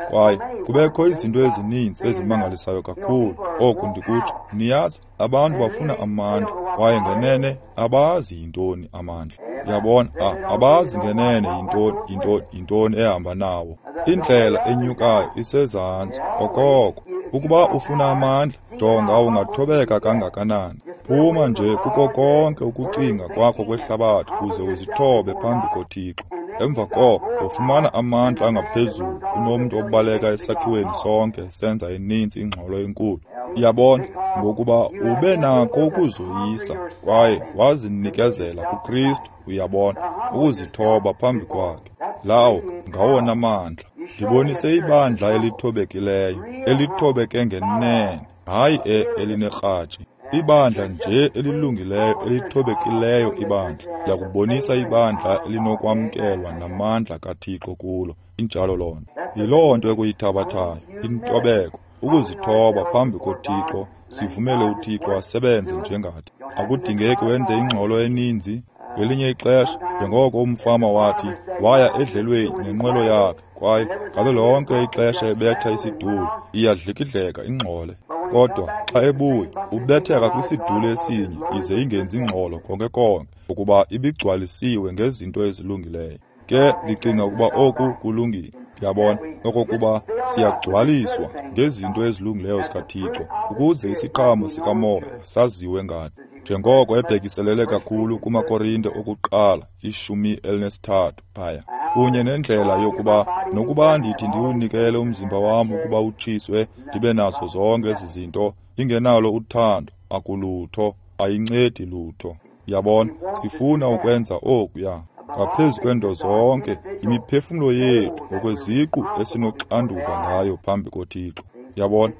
Speaker 2: Kwaye kubekho izinto ezininzi ezimangalisayo kakhulu. Oku ndikutsho, niyazi, abantu bafuna amandla, kwaye ngenene abazi yintoni amandla. Uyabona, abazi ngenene yintoni yintoni yintoni ehamba nawo. Indlela enyukayo isezantsi okoko. Ukuba ufuna amandla, jonga ungathobeka kangakanani. Phuma nje kuko konke ukucinga kwakho kwehlabathi uze uzithobe phambi koThixo. Emva koko ufumana amandla angaphezulu kunomntu obaleka esakhiweni sonke senza ininzi ingxolo enkulu. Uyabona, ngokuba ube nako ukuzoyisa kwaye wazinikezela kuKristu, uyabona, ukuzithoba phambi kwakhe. Lawo ngawona mandla. Ndibonise ibandla elithobekileyo, elithobeke ngenene, hayi elinerhatshi. Ibandla nje elilungileyo, elithobekileyo ibandla. Ndiyakubonisa ibandla elinokwamkelwa namandla kaThixo kulo. Injalo loo nto. Yiloo nto ekuyithabathayo, intobeko, ukuzithoba phambi koThixo, sivumele uThixo asebenze njengathi. Akudingeki wenze ingxolo eninzi. Ngelinye ixesha, njengoko umfama wathi, waya edlelweni nenqwelo yakhe, kwaye ngalo lonke ixesha ebetha isiduli, iyadlikidleka ingxole. Kodwa xa ebuya, ubetheka kwisiduli esinye ize ingenzi ingxolo konke konke, ukuba ibigcwalisiwe ngezinto ezilungileyo. Ke ndicinga ukuba oku kulungile. Ndiyabona okokuba siyagcwaliswa ngezinto ezilungileyo zikaThixo, ukuze isiqhamo sikamoya saziwe ngathi. Njengoko ebhekiselele kakhulu kumaKorinte okuqala ishumi elinesithathu phaya, kunye nendlela yokuba nokuba ndithi ndiwunikele umzimba wam ukuba utshiswe, ndibe nazo zonke ezi zinto, ndingenalo uthando, akulutho, ayincedi lutho. Uyabona, sifuna ukwenza okuya. Ngaphezu kwento zonke, imiphefumlo yethu ngokweziqu esinoxanduva ngayo phambi koThixo. Uyabona,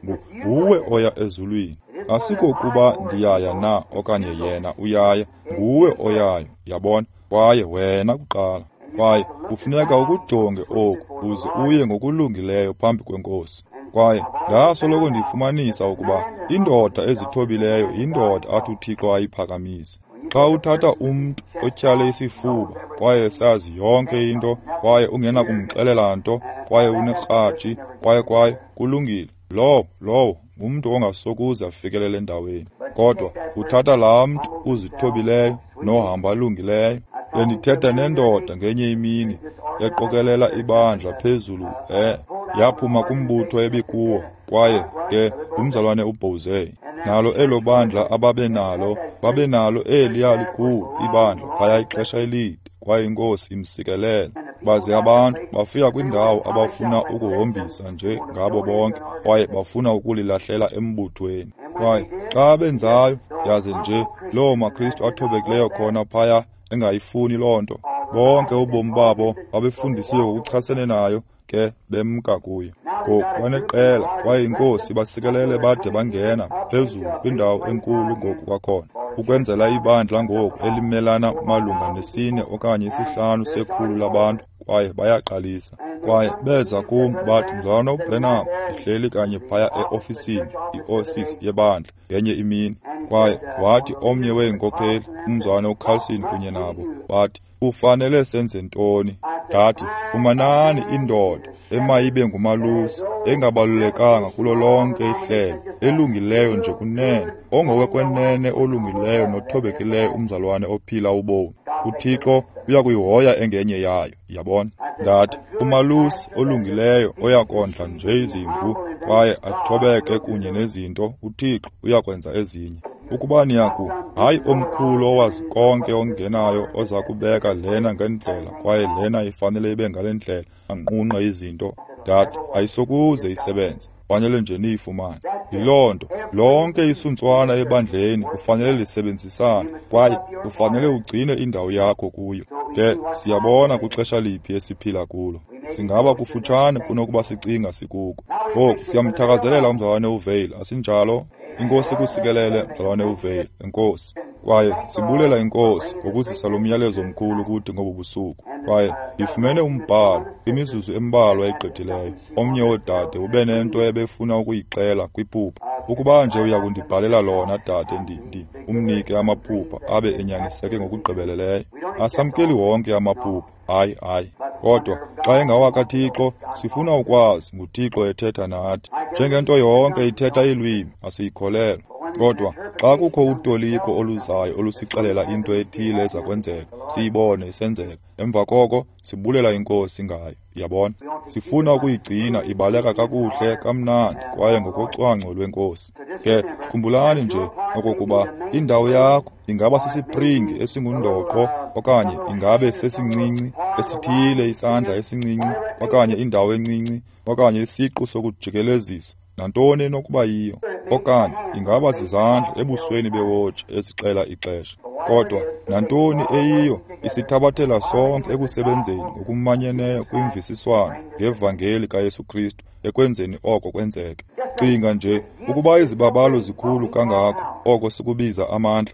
Speaker 2: nguwe oya ezulwini. Asikokuba ndiyaya na okanye yena uyaya, nguwe oyayo, uyabona, kwaye wena kuqala. Kwaye kufuneka ukujonge oku uze uye ngokulungileyo phambi kweNkosi. Kwaye ndasoloko ndifumanisa ukuba indoda ezithobileyo yindoda athi uThixo ayiphakamise. Xa uthatha umntu otyhale isifuba kwaye sazi yonke into, kwaye ungenakumxelela nto, kwaye unerhatshi, kwaye kwaye kulungile, lowo lowo ngumntu ongasokuze afikelele endaweni. Kodwa uthatha laa mntu uzithobileyo nohamba alungileyo. Bendithetha nendoda ngenye imini eqokelela ibandla phezulu, eh yaphuma kumbutho ebikuwo, kwaye ke ngumzalwane uBozey. Nalo elo bandla ababenalo, babenalo eliya likhulu ibandla phaya ixesha elide, kwaye iNkosi imsikelele. Baze abantu bafika kwindawo abafuna ukuhombisa nje ngabo bonke, kwaye bafuna ukulilahlela embuthweni. Kwaye xa benzayo, yaze nje loo maKristu athobekileyo khona phaya engayifuni loo nto. Bonke ubomi babo babefundisiwe ngokuchasene nayo, ke bemka kuyo. Ngoku baneqela, kwaye iNkosi basikelele bade bangena phezulu kwindawo enkulu ngoku kwakhona, ukwenzela ibandla ngoku elimelana malunga nesine okanye isihlanu sekhulu labantu, kwaye bayaqalisa. Kwaye beza kum bathi, Mzalwana uBranham, ndihleli kanye phaya eofisini, iofisi yebandla ngenye imini. Kwaye wathi omnye weenkokheli, umzalwana uCarlson kunye nabo, bathi, ufanele senze ntoni? Ndathi, fumanani indoda emayibe ngumalusi, engabalulekanga kulo lonke ihlelo, elungileyo nje kunene, ongowekwenene olungileyo nothobekileyo umzalwane ophila ubomi. uThixo uyakuyihoya engenye yayo, yabona. Ndathi, umalusi olungileyo oyakondla nje izimvu kwaye athobeke kunye nezinto, uThixo uyakwenza ezinye. Ukuba niyaku, hayi omkhulu owazi konke ongenayo oza kubeka lena ngendlela kwaye lena ifanele ibe ngale ndlela, anqunqe izinto. Ndathi, ayisokuze isebenze, fanele nje niyifumane. Yiloo nto, lonke isuntswana ebandleni kufanele lisebenzisane kwaye kufanele ugcine indawo yakho kuyo. Ke siyabona kwixesha liphi esiphila kulo. Singaba kufutshane kunokuba sicinga sikuko. Ngoku siyamthakazelela umzalwane uVale, asinjalo? Inkosi kusikelele mzalwane uVale, enkosi. Kwaye sibulela inkosi ngokuzisa lo myalezo omkhulu kuthi ngobu busuku. Kwaye ndifumene umbhalo kwimizuzu embalwa egqithileyo. Omnye woodade ube nento ebefuna ukuyixela kwiphupha. Ukuba nje uyakundibhalela lona dade, ndi ndi umnike amaphupha abe enyaniseke ngokugqibeleleyo. Asamkeli wonke amaphupha, hayi hayi. Kodwa xa engawakaThixo, sifuna ukwazi nguThixo ethetha nathi. Njengento yonke ithetha ilwimi, asiyikholelwa. Kodwa xa kukho utoliko oluzayo olusixelela into ethile eza kwenzeka, siyibone isenzeka. Emva koko sibulela inkosi ngayo, yabona. Sifuna ukuyigcina ibaleka kakuhle kamnandi kwaye ngokocwangco lwenkosi. Ke khumbulani nje okokuba indawo yakho ingaba sisipringi esingundoqo okanye ingabe sesincinci esithile, isandla esincinci okanye indawo encinci okanye isiqu sokujikelezisa, nantoni enokuba yiyo, okanye ingaba zizandla ebusweni bewotshi ezixela ixesha. Kodwa nantoni eyiyo isithabathela sonke ekusebenzeni ngokumanyeneyo kwimvisiswano ngevangeli kaYesu Kristu ekwenzeni oko kwenzeke. Cinga nje ukuba izibabalo zikhulu kangako, oko sikubiza amandla.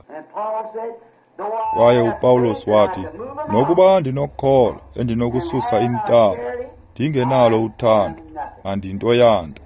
Speaker 2: Kwaye uPawulos wathi, nokuba ndinokholo endinokususa intaba, ndingenalo uthando, andinto yanto.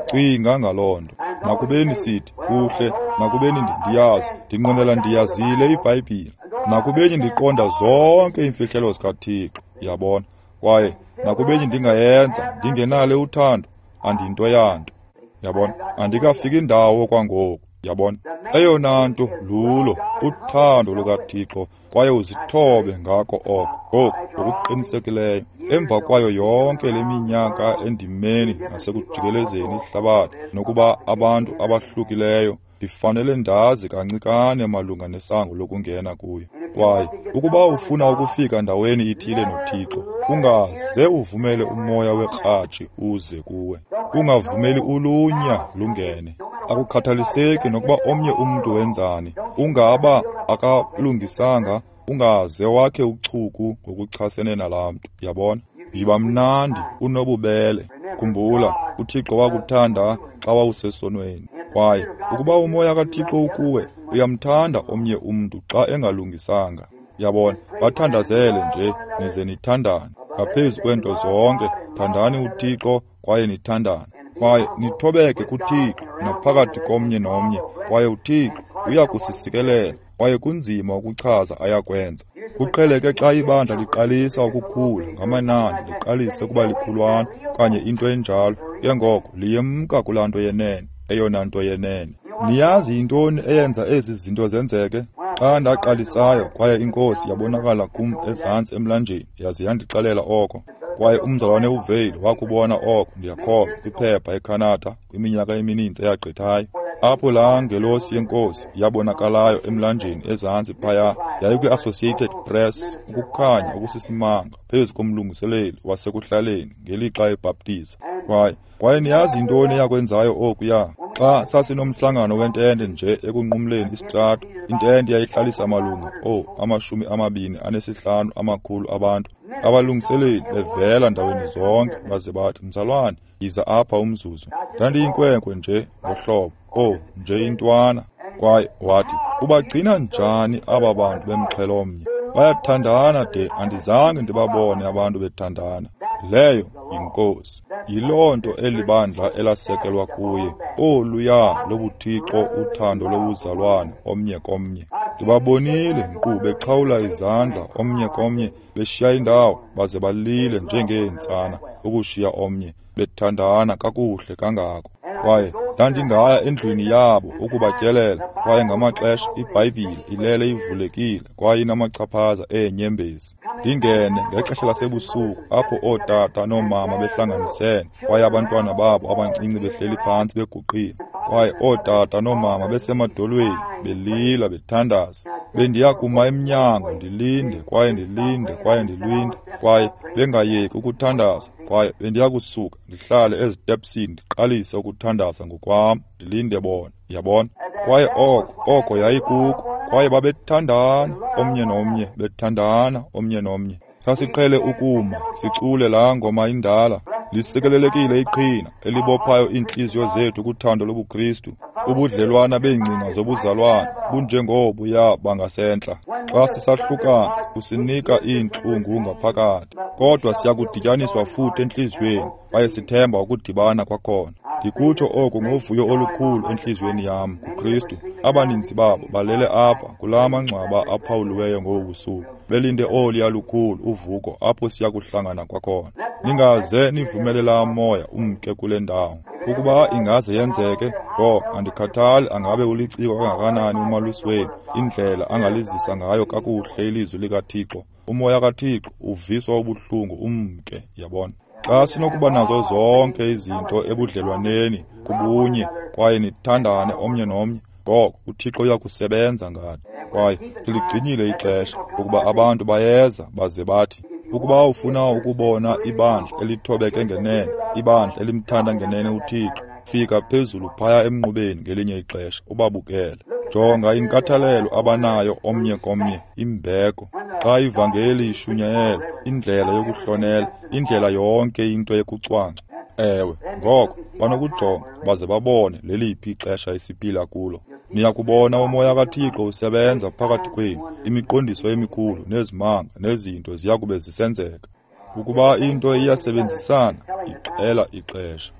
Speaker 2: Cinga ngaloo nto. Nakubeni sithi kuhle, nakubeni ndiyazi, ndinqwenela ndiyazile iBhayibhile, nakubeni ndiqonda zonke iimfihlelo zikaThixo, yabona. Kwaye nakubeni ndingayenza ndingenalo uthando, andinto yanto, yabona. Andikafiki ndawo kwangoku, yabona. Eyona nto lulo uthando lukaThixo, kwaye uzithobe ngako oko. Ngoku ngokuqinisekileyo, emva kwayo yonke le minyaka endimeni nasekujikelezeni ihlabathi nokuba abantu abahlukileyo, ndifanele ndazi kancikane malunga nesango lokungena kuyo. Kwaye ukuba ufuna ukufika ndaweni ithile noThixo, ungaze uvumele umoya wekratshi uze kuwe. Ungavumeli ulunya lungene. Akukhathaliseki nokuba omnye umntu wenzani, ungaba akalungisanga, ungaze wakhe uchuku ngokuchasene nalaa mntu, yabona. Yiba mnandi, unobubele. Khumbula, uThixo wakuthanda xa wawusesonweni. Kwaye ukuba umoya kaThixo ukuwe, uyamthanda omnye umntu xa engalungisanga, yabona. Bathandazele nje nize nithandane. Ngaphezu kwento zonke, thandani uThixo kwaye nithandane. Kwaye nithobeke kuThixo naphakathi komnye nomnye, kwaye uThixo uyakusisikelela. Kwaye kunzima ukuchaza ayakwenza. Kuqheleke xa ibandla liqalisa ukukhula ngamanani, liqalise ukuba likhulwana okanye into enjalo, ke ngoko liyemka kulaa nto yenene, eyona nto yenene. Niyazi yintoni eyenza ezi zinto zenzeke? Xa ndaqalisayo kwaye inkosi yabonakala kum ezantsi emlanjeni, yaze yandixelela oko. Kwaye umzalwane uVale wakubona oko, ndiyakholwa, kwiphepha eCanada kwiminyaka emininzi eyagqithayo. Apho laa ngelosi yenkosi yabonakalayo emlanjeni ezantsi phaya, yayikwi-Associated Press, ukukhanya okusisimanga phezu komlungiseleli wasekuhlaleni ngelixa ebhaptiza. Kwaye kwaye niyazi yintoni eyakwenzayo okuya? Xa sasinomhlangano wentente nje ekunqumleni isitrato, intente yayihlalisa malunga oh amashumi amabini anesihlanu amakhulu abantu. Abalungiseleli bevela ndaweni zonke baze bathi, mzalwane, yiza apha umzuzu. Ndandiyinkwenkwe nje ngohlobo, oh nje intwana. Kwaye wathi, ubagcina njani aba bantu bemxhelo omnye? Bayathandana de andizange ndibabone abantu bethandana. Leyo yinkosi. Yiloo nto elibandla elasekelwa kuye, oluya lobuthixo, uthando lobuzalwane omnye komnye. Ndibabonile nkqu beqhawula izandla omnye komnye, beshiya indawo baze balile njengeentsana ukushiya omnye, bethandana kakuhle kangako. Kwaye Ndandingaya endlwini yabo ukubatyelela, kwaye ngamaxesha iBhayibhile ilele ivulekile kwaye inamachaphaza eenyembezi. Ndingene ngexesha lasebusuku apho ootata noomama behlanganisene, kwaye abantwana babo abancinci behleli phantsi beguqile, kwaye ootata noomama besemadolweni belila bethandaza. Bendiya kuma emnyango ndilinde kwaye ndilinde kwaye ndilinde, kwaye bengayeki ukuthandaza, kwaye bendiya kusuka ndihlale ezitepsini ndiqalise ukuthandaza ngokwam, ndilinde bona, yabona. Kwaye oko oko yayikuko, kwaye babethandana omnye nomnye, bethandana omnye nomnye. Sasiqhele ukuma sicule laa ngoma indala, lisikelelekile iqhina elibophayo iintliziyo zethu kuthando lobuKristu. Ubudlelwana beengcinga zobuzalwana bunjengobuya bangasentla. Xa sisahlukana kusinika iintlungu ngaphakathi, kodwa siyakudityaniswa futhi entliziyweni, kwaye sithemba ukudibana kwakhona. Ndikutsho oku ngovuyo olukhulu entliziyweni yam kuKristu. Abaninzi babo balele apha kulaa mangcwaba aphawuliweyo ngobu busuku, belinde oluya lukhulu uvuko apho siya kuhlangana kwakhona. Ningaze nivumele laa moya umke kule ndawo. Ukuba ingaze yenzeke, ngoko andikhathali angabe uliciko kangakanani umalusi wenu, indlela angalizisa ngayo kakuhle ilizwi likaThixo. Umoya kaThixo uviswa ubuhlungu umke, yabona. Xa sinokuba nazo zonke izinto ebudlelwaneni kubunye kwaye nithandane omnye nomnye, ngoko uThixo uyakusebenza ngathi. Kwaye siligcinile ixesha ukuba abantu bayeza baze bathi, ukuba ufuna ukubona ibandla elithobeke ngenene, ibandla elimthanda ngenene uThixo, fika phezulu phaya emnqubeni ngelinye ixesha ubabukele. Jonga inkathalelo abanayo omnye komnye, imbeko. Xa ivangeli ishunyayelwa, indlela yokuhlonela, indlela yonke into yokucwangca. Ewe, ngoko banokujonga baze babone leliphi ixesha esiphila kulo. Niyakubona umoya kaThixo usebenza phakathi kwenu, imiqondiso emikhulu nezimanga nezinto ziyakube zisenzeka. Ukuba into iyasebenzisana, ixela ixesha.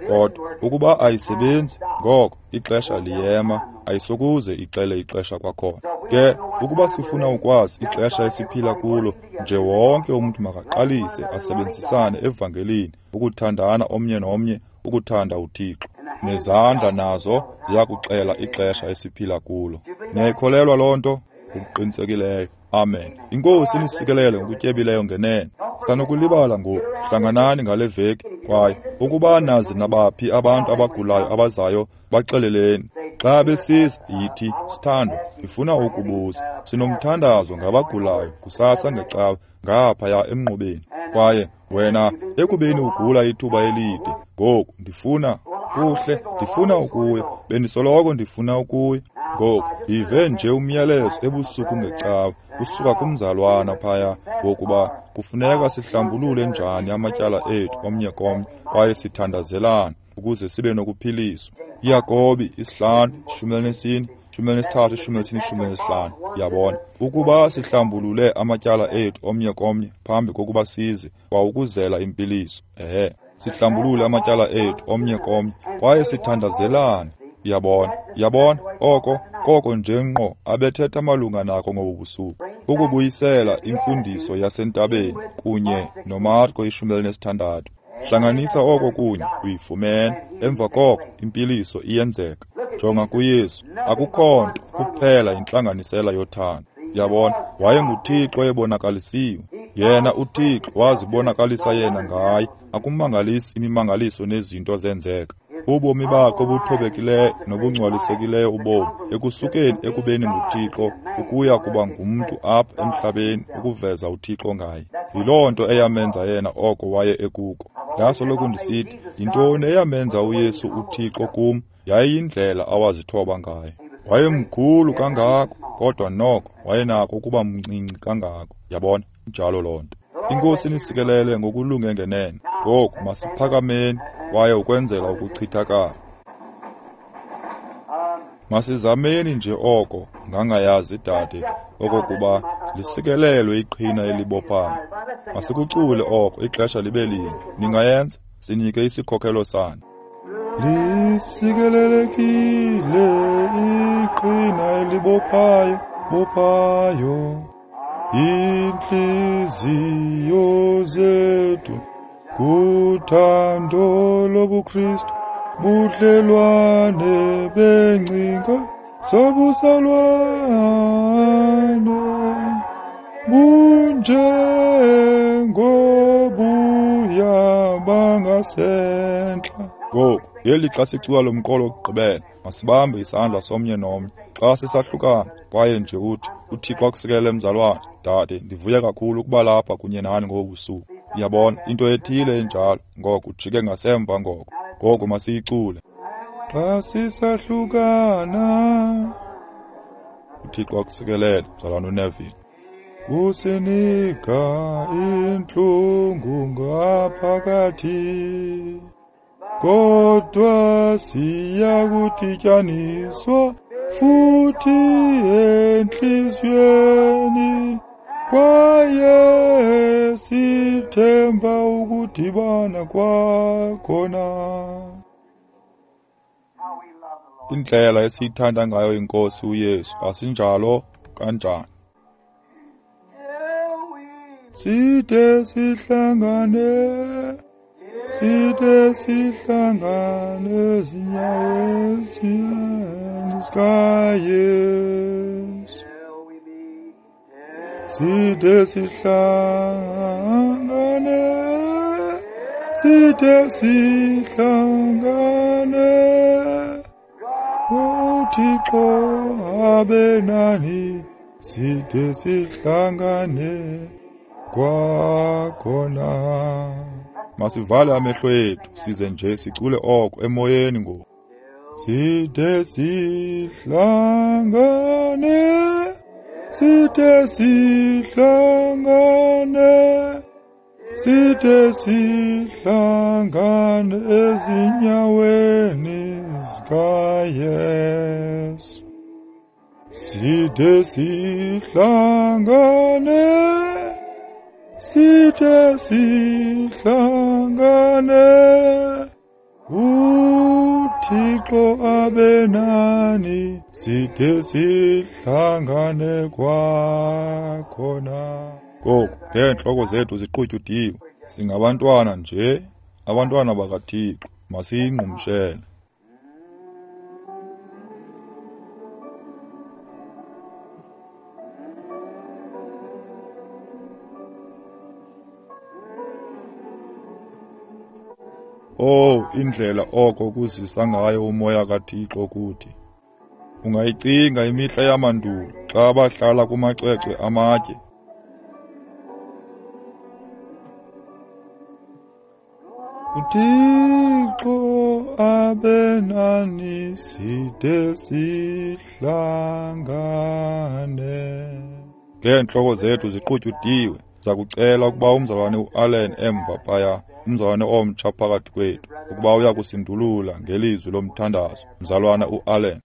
Speaker 2: Kodwa ukuba ayisebenzi, ngoko ixesha liyema, ayisokuze ixele ixesha kwakhona. Ke ukuba sifuna ukwazi ixesha esiphila kulo, nje wonke umntu makaqalise asebenzisane evangelini, ukuthandana omnye nomnye, ukuthanda uThixo. Nezandla nazo ziyakuxela ixesha esiphila kulo. Niyayikholelwa loo nto? Ngokuqinisekileyo. Amen. Inkosi inisikelele ngokutyebileyo ngenene. Sanokulibala ngoku, hlanganani ngale veki, kwaye ukuba nazi nabaphi abantu abagulayo abazayo, baxeleleni. Xa besiza, yithi, sithandwa, ndifuna ukubuza. Sinomthandazo ngabagulayo kusasa ngecawe ngaphaya emnqubeni. Kwaye wena ekubeni ugula ithuba elide, ngoku ndifuna kuhle, ndifuna ukuya. Bendisoloko ndifuna ukuya. Ngoku ndive nje umyalezo ebusuku ngecawe usuka kumzalwana phaya wokuba kufuneka sihlambulule njani amatyala ethu omnye komnye kwaye sithandazelane ukuze sibe nokuphiliswa. Yakobi isihlanu ishumi elinesine ishumi elinesithathu ishumi elinesine ishumi elinesihlanu. Yabona, ukuba sihlambulule amatyala ethu omnye komnye phambi kokuba size kwawukuzela impiliso. Ehe, sihlambulule amatyala ethu omnye komnye kwaye sithandazelane. Yabona, yabona, oko koko nje ngqo abethetha malunga nako ngobu busuku, ukubuyisela imfundiso yasentabeni kunye noMarko ishumi elinesithandathu. Hlanganisa oko kunye uyifumene, emva koko impiliso iyenzeka. Jonga kuYesu, akukho nto kuphela intlanganisela yothando. Yabona, wayenguThixo ebonakalisiwe. Yena uThixo wazibonakalisa yena ngaye. Akumangalisi imimangaliso nezinto zenzeka. Ubomi bakhe obuthobekileyo nobungcwalisekileyo ubomi ekusukeni ekubeni nguThixo ukuya kuba ngumntu apha emhlabeni ukuveza uThixo ngaye. Yiloo nto eyamenza yena oko waye ekuko. Ndasoloko ndisithi, yintoni eyamenza uYesu uThixo kum? Yayiyindlela awazithoba ngayo. Wayemkhulu kangako, kodwa noko wayenako ukuba mncinci kangako. Yabona, njalo loo nto. Inkosi inisikelele ngokulunge ngenene. Ngoku masiphakameni kwaye ukwenzela ukuchithakala. Masizameni nje oko ngangayazi dade okokuba lisikelelwe iqhina elibophayo. Masikucule oko ixesha libe linye. Ningayenza? Sinike isikhokelo sani. Lisikelelekile iqhina elibophayo, bophayo intliziyo zethu kuthando lobuKristu. Budlelwane bengcinga sobuzalwane bunjengobuya bangasentla. Ngoku ngeli xa sicula lo mqolo wokugqibela, masibambe isandla somnye nomnye xa sisahlukana, kwaye nje uthi uThixo akusikelele mzalwane. Dade, ndivuya kakhulu ukuba lapha kunye nani ngobu busuku. Uyabona, into ethile enjalo. Ngoko ujike ngasemva ngoko. Ngoko masiyicule. Xa sisahlukana, uThixo akusikelele mzalwane uNeville. Kusinika intlungu ngaphakathi, kodwa siya kudityaniswa futhi entliziyweni, kwaye sithemba ukudibana kwakhona. Indlela esiyithanda ngayo iNkosi uYesu, asinjalo kanjani? Side sihlangane, side sihlangane ezinyaweni zikaYesu. Side sihlangane, side sihlangane, uThixo abe nani, side sihlangane kwakhona. Masivale amehlo ethu size nje sicule oko emoyeni ngoku. Side sihlangane, side sihlangane, side sihlangane ezinyaweni zikaYesu. Side sihlangane, side sihlangane, uThixo abe nani, side sihlangane kwakhona. Ngoku ngeentloko zethu ziqutyudiwe, singabantwana nje, abantwana bakaThixo, masiyingqumshele. Oh, indlela oko kuzisa ngayo umoya kaThixo kuthi. Ungayicinga imihla yamandulo xa bahlala kumacwecwe amatye. uThixo abe nani, side sihlangane. Ngeentloko zethu ziqutyudiwe, sakucela ukuba umzalwane uAllen emva phaya, umzalwane omtsha phakathi kwethu, ukuba uya kusindulula ngelizwi lomthandazo. Mzalwana uAllen.